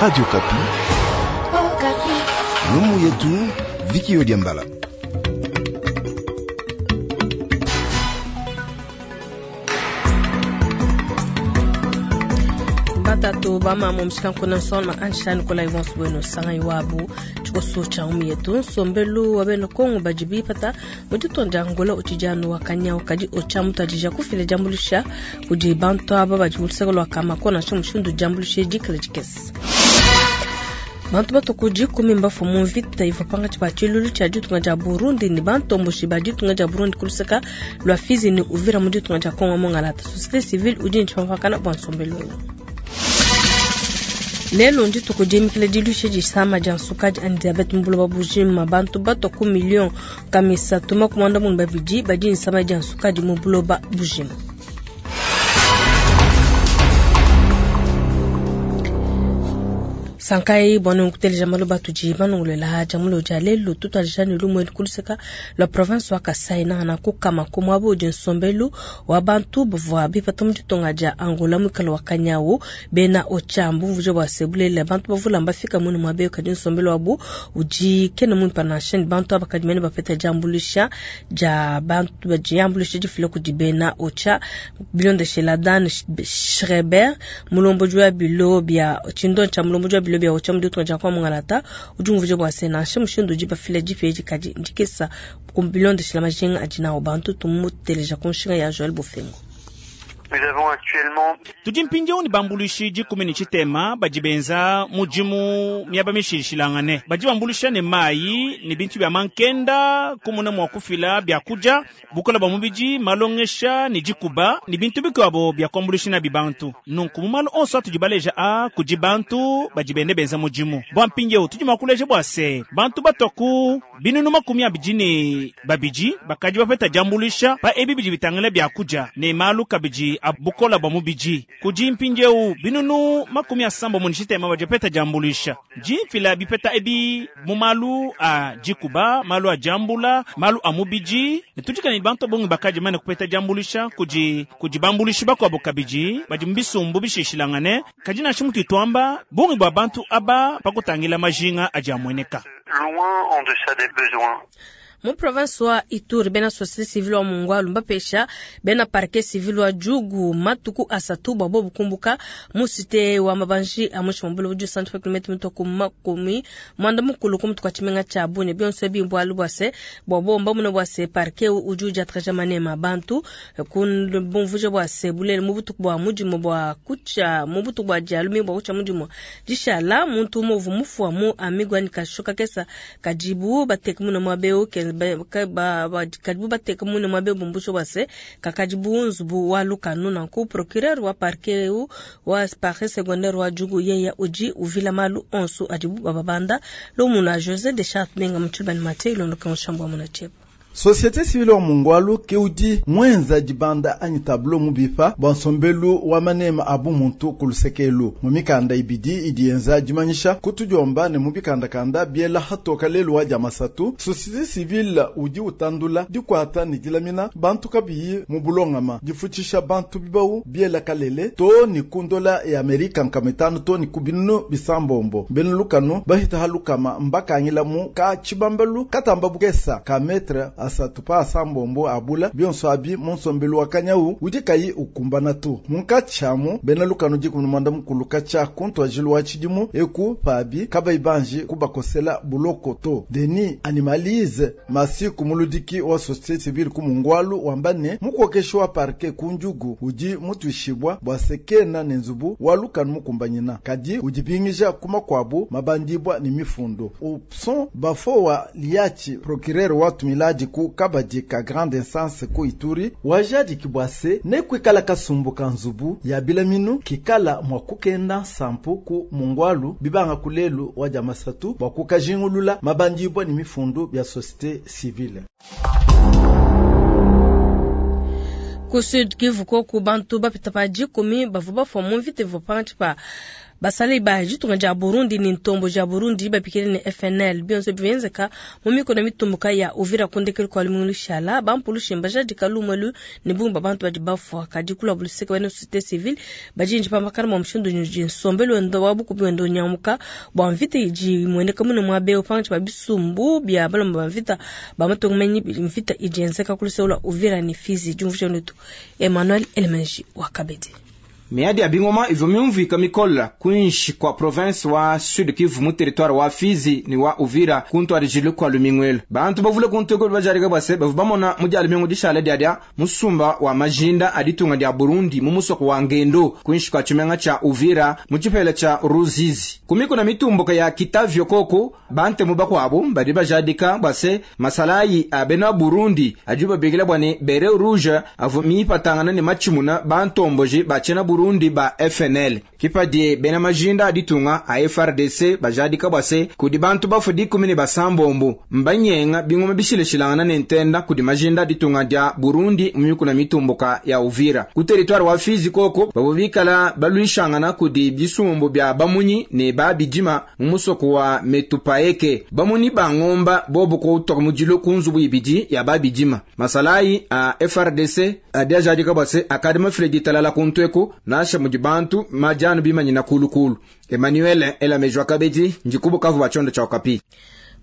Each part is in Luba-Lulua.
Radio Kapi. Lumu yetu Viki Odiambala. Batatu bamama mushikanku nsona ansha Nikolai Vons Bueno sangai wabu tshikoso tsha umu yetu nsombelu wa bena Kongo badi bipata mu ditunga dia Angola utshidi wa kanyawu kadi otshia mutuadija kufila diambuluisha kudi bantu aba badi mu luseke lua Kamako nansha mushindu diambuluisha dikala dikese. Bantu batuku dikumi mbafua mu mvita ivua pankatshi pa tshiluilu tshia ditunga dia Burundi ne bantomboshi ba ditunga dia Burundi ku luseka lua Fizi ne Uvira mu ditunga dia Kongo Mongalata. Société civile udi ne tshipampakana bua nsombelu eu. Lelo ndituku diimikila diluisha disama dia nsukadi anyi diabete mu buloba bujima. Bantu batua ku miliyo kamisatu 42 badi ne disama dia nsukadi mu buloba bujima. Sankai bua nukuteleja malu atudi manongolola dia mulo dia lelu tutuadija ne lumu elu ku luseka lua province wa Kasai nangana ku Kamako muaba udi nsombelu wa bantu bavua bipata mu ditunga dia Angola muikale wa kanyawu. Bena Ocha mbumvuija bua se bulelela bantu bavula mbafika munu muaba eu kadi nsombelu wabu udi kena muimpe nansha ne bantu aba kadi mene bapeta diambuluisha dia bantu diambuluisha difila kudi bena Ocha. Bilondeshela Dan Schreiber mulombodi wa bilo bia tshindo tshia mulombodi wa bilo bia Ocha mu ditunga dia kwa Mungalata udi umvuija bua se nansha mushindu udi bafila dipa edi kadi ndikesa bilondeshela majinga adi nawu bantu. Tumuteleja ku nshinga ya Joël Bofengo. Tudi mpindieu ne bambuluishi dikumi ne tshitema badi benza mudimu miaba mishilashilangane. Badi bambuluisha ne mayi ne bintu bia mankenda kumuna mua kufila biakudia, bukola bua mubidi, malongesha ne dikuba ne bintu bikuabo bia kuambuluisha nabi bantu. Nunku mu malu onso atudi baleja a kudi bantu badi bende benza mudimu. Bua mpindieu tudi mua kuleja bua se bantu batua ku binunu 22 bakadi bapeta diambuluisha pa ebi bidi bitangila biakudia ne malu kabidi a bukola bua mubidi. Kudi mpindieu binunu 78 badi bapeta diambuluisha. Dimfila bipeta ebi mu malu a dikuba, malu a diambula, malu a mubidi. Ne tudi ne bantu bongi bakadi mane kupeta diambuluisha kudi kudi bambuluishi bakuabo kabidi badi mu bisumbu bishishilangane. Kadi nansha mutu tuamba bungi bua bantu aba pakutangila majinga adi amueneka. Loin en deçà des besoins. Mu province wa Ituri bena société civile wa Mungwalu mbapesha bena parquet civil wa Djugu matuku asatu bua bobu kumbuka mu cité wa mabanji a mushi mwa buloba udi kilomètre mituku 80 ku mutu kwa tshimenga tshia Bunia. Bionso ebi mbualu bua se bua bomba mune bua se parquet udi udiatakaja manema bantu ku bumvuja bua se bulele mu butuku bua mudimu bua kutsha mu butuku bua dialumi bua kutsha mudimu dishala muntu umue uvua mufua mu amigwa ni kashoka kesa kadibu bateka mune muaba eu kadibu bateka mune muaba bumbusho bua se kakadi bunzubu wa lukanu. Nanku procureur wa parquet eu wa parquet secondaire wa Djugu yeya udi uvila malu onso adibu bababanda lomuna José de Charte menga mutshibani mate ilondoka mushambo wa munacheba. Société civile wa Mungwalu ke udi mwenza dibanda anyi tableau mubipa bua nsombelu wa manema abu muntu ku lusekelu mu mikanda ibidi idi yenza dimanyisha kutudiomba ne mu bikandakanda biela hatoka lelu wa dia masatu. Société civile udi utandula dikuata ne dilamina bantu kabiyi mu bulongama difutshisha bantu bibawu biela kalele to ni kundola ya Amerika nkametano to ni kubinu bisambombo bena lukanu bahita halukama mbakangila mu ka tshibambalu katamba bukesa ka metre asatu pa asambombo abula bionso abi munsombelu wa kanyawu udi kayi ukumbana tu munkatshamu bena lukanu dikumi mwanda mukulu katshia kuntuajilu wa tshidimu eku pabi kabayi banji kubakosela buloko to. Denis Animalize masiku muludiki wa société civile ku Mungwalu wamba ne mukokeshi wa parquet ku Njugu udi mutuishibwa bua sekena ne nzubu wa lukanu mukumbanyina kadi udi bingija kuma kwabu mabandibwa ni mifundo upson bafo wa liachi procureur wa tumiladi ku kabadi ka grande instance ku Ituri wajadi kibwase ne kwikala kasumbu ka nzubu ya bilaminu kikala mwa kukenda nsampu ku Mungwalu bibanga kulelu wa diamasatu bua kukajingulula mabandibwa ni mifundu bya société civile. Ku Sud Kivu koku bantu bapita pa dikumi bavua bafua mu mvita ivua pankatshi pa Basalayi ba ditunga dia Burundi ne ntomboji ya Burundi babikila ne FNL bionso bienzeka mu mikuna mitumbuka ya Uvira ku ndekelu kua lumingu lushala. Bampulushi mbajadika lumu elu ne bungi bua bantu badi bafua. Kadi ku lua luseke bena société civile badi ndipambakana bua mushindu udi nsombelu wenda wa bukubi wenda unyanguka bua mvita idi imueneka mune muaba eu pankatshi pa bisumbu bia balomba ba mvita ba matunga menyi. Mvita idi yenzeka ku luseke lua Uvira ne Fizi. Diumvuija letu Emmanuel Elemenji wa Kabedi. Miadi ya bingoma ivua miumvuika mikola kuinshi kua province wa Sud Kivu mu territoire wa Fizi ne wa Uvira kuntwadijilu kua lumingu bantu bavule kuntuku bajarika bwase bavu bamona mu dia lumingu dishala diadia musumba wa majinda a ditunga dia Burundi mu musoko wa Ngendo kuinshi kua tshimenga tshia Uvira mu tshipela tshia Ruzizi kumiko na mitumbuka ya Kitavyo koko bantemu bakuabu badi bajadika bwase masalayi a bena Burundi adi babikila bwane beret rouge avu mipatangana ne machimuna bantomboji bachena Burundi ba FNL kipadi bena majinda aditunga a FRDC bajadika bwase kudi bantu bafu dikumi ne basambombo mbanyenga bingoma bishileshilangana ne ntenda kudi majinda aditunga dia Burundi mu na mitumbuka ya Uvira ku territoire wa Fizi koko babubikala balwishangana kudi bisumbu bya bamunyi ne babijima mu musoko wa Metupaeke bamunyi bangomba bobo ko utoka mujilo kunzubu ibidi ya babijima masalayi a FRDC adiajadika bwase akadema Fredi talala kuntweko nasha mudi bantu majanu bimanyina kulukulu Emmanuel Elamejwa Kabedi njikubu kavu bachondo cha Okapi.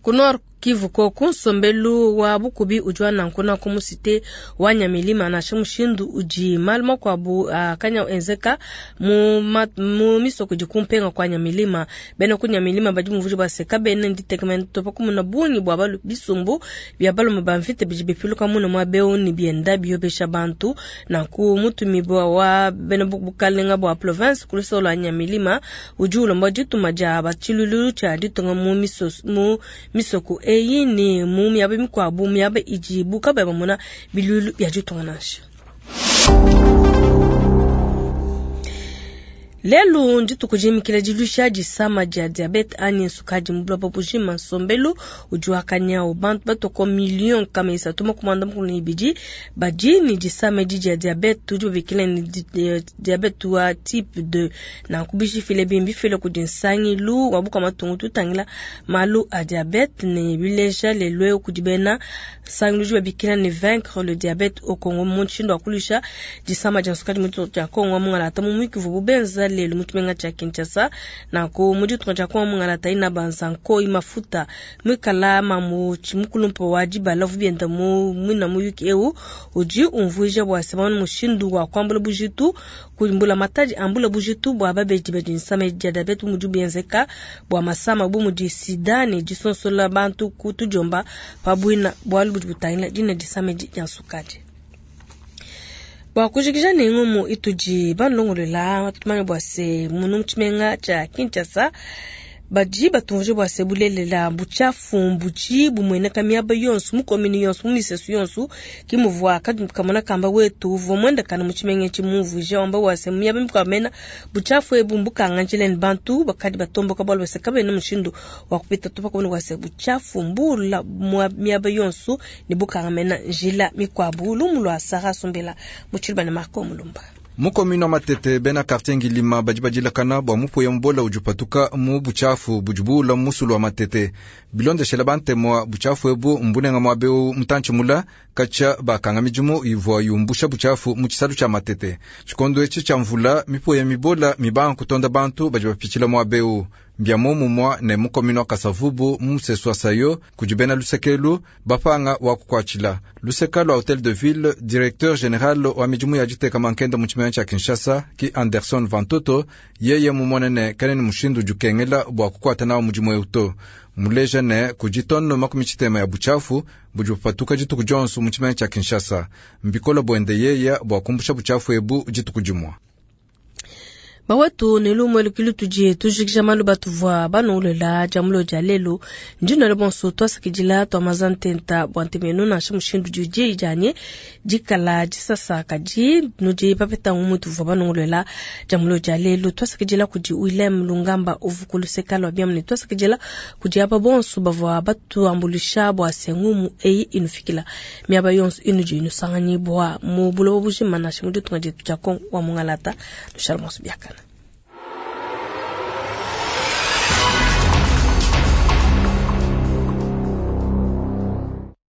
Ku Nord Kivu koku nsombelu wa bukubi udi wa nankuna ku musite wa Nyamilima nansha mushindu udi malu makuabu akanya enzeka mu misoko idi kumpenga kwa Nyamilima. Bena ku Nyamilima badi muvuji baseka bena nditekemena topa kumuna bungi bua balu bisumbu bia balume ba mvita bidi bipiluka muna mwa beu ni bienda biyobesha bantu nanku mutumibua wa bena bukalenga bua province ku lusolo lua Nyamilima udi ulomba dituma dia batshilulu tshia ditunga mu misoko eyi ni mu miaba mikuabu miaba idi buka bamona bilulu bia ditunga nansha. Lelu ndituku jimikila dilusha disama dia diabete anyi sukadi mu buloba bujima. Nsombelu udi wakanyau bantu batoko million kama isatu makumanda mukulu ne ibidi badi ni disama edi dia diabete udi babikila ni diabete wa type 2 nanku bishifile bimbi file kudi nsangilu wa buka matungu tutangila malu a diabete ne bileja lelu kudi bena nsangilu udi babikila ni vaincre le diabète au Congo mu mushindu wa kulusha disama dia sukadi mu dia Congo mungalata mu mwikivu bubenza lelu mu tshimenga tshia Kinshasa nanku mu ditunga dia Kongo mungalata ina banzanko imafuta mwikala mamu tshimukulumpa wa dibala vubienda mu mwina muyuki eu udi umvuija bua semana mushindu wa kuambula bujitu kumbula matadi ambula bujitu bua babedi badi nsama dia diabete mudi bienzeka bua masama bu mudi sida ne disonsola bantu kutujomba pabuina bualu budi butangila dina disama dia sukadi. Bua kujikija ne ngumu itudi banlongolola tumanya bua se munu mu tshimenga tshia Kinshasa badi batumvuje bua se bulelela buchafu mbuji bumueneka miaba yonso mu komini yonso mu misesu yonso kimuvua kamona kamba wetu uvua muendakana mu tshimenga etshi mumvuije wamba bua se miaba mikuabu mena buchafu ebu mbukanga njila ne bantu bakadi batomboka bualu bua se kabena mushindu wa kupita to pakubona bua se buchafu mbula miaba yonso ne bukanga mena njila mikuabu. Lumu lua Sara Sombela mu tshiluba ne Marco Mulumba. Mu commune wa Matete bena quartier Ngilima badi badilakana bua mupuya mubola udi upatuka mu buchafu budi buula musulu wa Matete. Bilondeshela bantemwa buchafu ebu mbunenga muabeu mutantshi mula katshia bakanga midimu ivua yumbusha buchafu mu tshisalu tshia Matete. Tshikondo etshi tshia mvula mipuya mibola mibanga kutonda bantu badi bapitshila muabeu. Mbia momumwa ne mu commune wa Kasavubu mu musesu wa Sayo kudi bena lusekelu bapanga wa kukwatshila luseka lwa Hotel de Ville. Directeur général wa midimu ya diteka mankenda mu tshimenga tshia Kinshasa ki Anderson Vantoto yeye mumonene kanene mushindu udi bua kukwata nawo mudimu eu to muleja ne kudi tonne makumi tshitema ya buchafu budi bupatuka dituku dionso mu tshimenga tshia Kinshasa. Mbikola buende yeya bua kumbusha buchafu ebu dituku dimua. Bawetu ne lumwe lukilu tudi tujikija malu batuvua banuulela dia mulo dia lelu ndino bonso twasakidila twamaza ntenta bua ntemenu nansha mushindu didi dianye dikala disasa kadi nudi papeta ngumu tuvua banuulela dia mulo dia lelu twasakidila kudi Willem Lungamba uvu luseka lua biamu ne twasakidila kudi aba bonso bavua batuambulisha bua se ngumu eyi inufikila miaba yonso inudi inusanganyibua mu buloba bujima nansha mu ditunga dietu dia Kongo wa mungalata tushala bonso biakana.